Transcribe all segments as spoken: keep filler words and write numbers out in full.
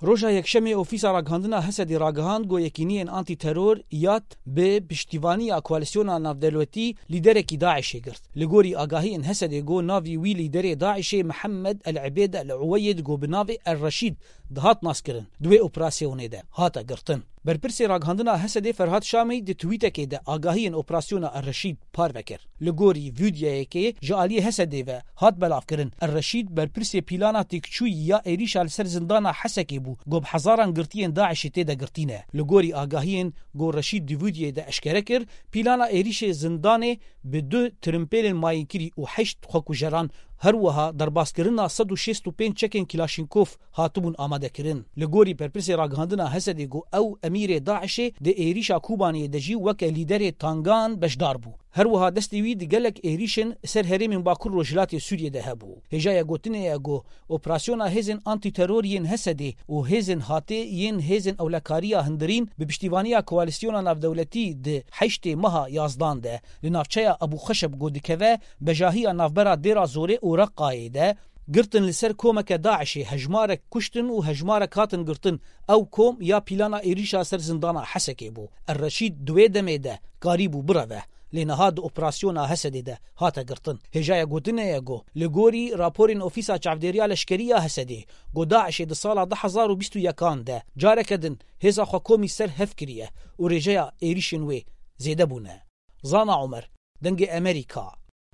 Roja Yekşemê Ofîsa Ragihandina Hesedê ragihand ku yekîniyên antîteror, yad, bi piştîvaniya koalîsyona navdewletî lîderekî DAIŞê girt. Li gorî agahiyên Hesedê ku navî wî lîderê DAIŞê Mihemed El Ebêd El Uweyed ku bi navê El Reşîd dihat naskirin, di wê operasyonê de hate girtin. Berpirsê Ragihandina Hesedê Ferhat Şamî di twîtekê de agahiyên operasyona El Reşîd parve kir. Li gorî vîdyoyekê ji aliyê Hesedê ve hat belavkirin, El Reşîd berpirsê pîlana têkçûyî ya êrîşa li ser zindana Hesekê bû, ku bi hezaran girtiyên DAIŞê tê de girtî ne. Li gorî agahiyên ku Reşîd di vîdyoyê de eşkere kir, pîlana êrîşê zindanê bi du tirimpêlên mayînkirî û heşt xwekujeran, her wiha derbaskirina sed û şêst û pênc çekên Kîlaşînkov hatibûn amadekirin. Li gorî berpirsê ragihandina Hesedê ku ew emîrê DAIŞê di êrîşa Kobaniyê de jî weke lîderê tangan beşdar bû. Her wiha destê wî di gelek êrîşên ser herêmên Bakur Rojhilatê Sûriyê de hebû. Hêjaya gotinê ye ku operasyona hêzên antîteror yên Hesedê û hêzên hatê yên hêzên ewlekariya hundirîn bi piştîvaniya koalîsyona navdewletî di heştê meha yazdan de li navçeya Ebû Xeşeb ku dikeve bejahiya navbera Dêra Zorê û Reqayê de girtin li ser komeke DAIŞê, hejmarek kuştin û hejmarek hatin girtin. Ew kom ya pîlana êrîşa ser zindana Hesekê bû. Er Reşîd di wê demê de karîbû bireve, lê niha di operasyona Hesedê de hate girtin. Hêjaya gotinê ye ku li gorî raporên Ofîsa Çavdêriya Leşkerî ya Hesedê, ku DAIŞê di sala du hezar û bîst û yekan de careke din hêza xwe komî ser hev kiriye û rêjeya êrîşên wê zêde bûne. Zana Omer, Dengê Emerîka,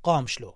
Qamişlo.